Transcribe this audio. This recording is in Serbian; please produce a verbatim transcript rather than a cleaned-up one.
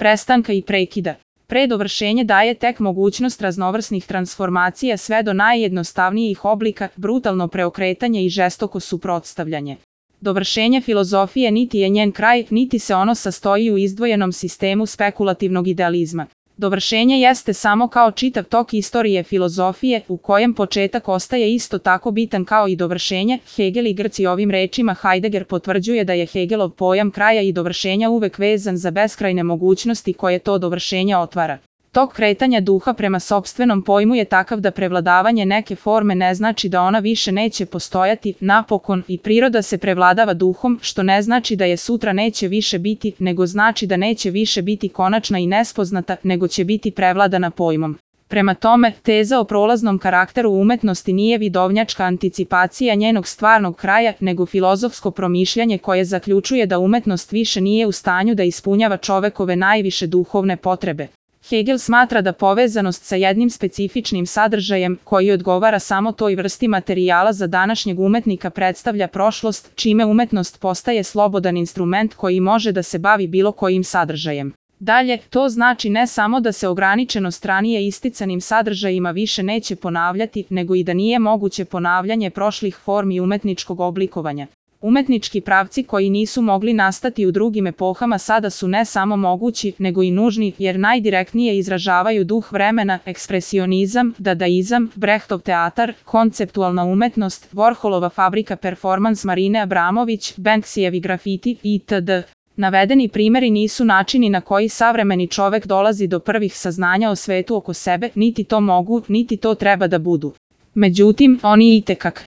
prestanka i prekida. Predovršenje daje tek mogućnost raznovrsnih transformacija sve do najjednostavnijih oblika, brutalno preokretanje i žestoko suprotstavljanje. Dovršenje filozofije niti je njen kraj, niti se ono sastoji u izdvojenom sistemu spekulativnog idealizma. Dovršenje jeste samo kao čitav tok istorije filozofije, u kojem početak ostaje isto tako bitan kao i dovršenje. Hegel i Grci. Ovim rečima Heidegger potvrđuje da je Hegelov pojam kraja i dovršenja uvek vezan za beskrajne mogućnosti koje to dovršenje otvara. Tok kretanja duha prema sopstvenom pojmu je takav da prevladavanje neke forme ne znači da ona više neće postojati, napokon i priroda se prevladava duhom, što ne znači da je sutra neće više biti, nego znači da neće više biti konačna i nespoznata, nego će biti prevladana pojmom. Prema tome, teza o prolaznom karakteru umetnosti nije vidovnjačka anticipacija njenog stvarnog kraja, nego filozofsko promišljanje koje zaključuje da umetnost više nije u stanju da ispunjava čovekove najviše duhovne potrebe. Hegel smatra da povezanost sa jednim specifičnim sadržajem, koji odgovara samo toj vrsti materijala za današnjeg umetnika, predstavlja prošlost, čime umetnost postaje slobodan instrument koji može da se bavi bilo kojim sadržajem. Dalje, to znači ne samo da se ograničenost ranije isticanim sadržajima više neće ponavljati, nego i da nije moguće ponavljanje prošlih formi umetničkog oblikovanja. Umetnički pravci koji nisu mogli nastati u drugim epohama sada su ne samo mogući, nego i nužni, jer najdirektnije izražavaju duh vremena, ekspresionizam, dadaizam, Brechtov teatar, konceptualna umetnost, Warholova fabrika performans Marine Abramović, Banksijevi grafiti, itd. Navedeni primjeri nisu načini na koji savremeni čovek dolazi do prvih saznanja o svetu oko sebe, niti to mogu, niti to treba da budu. Međutim, oni itekak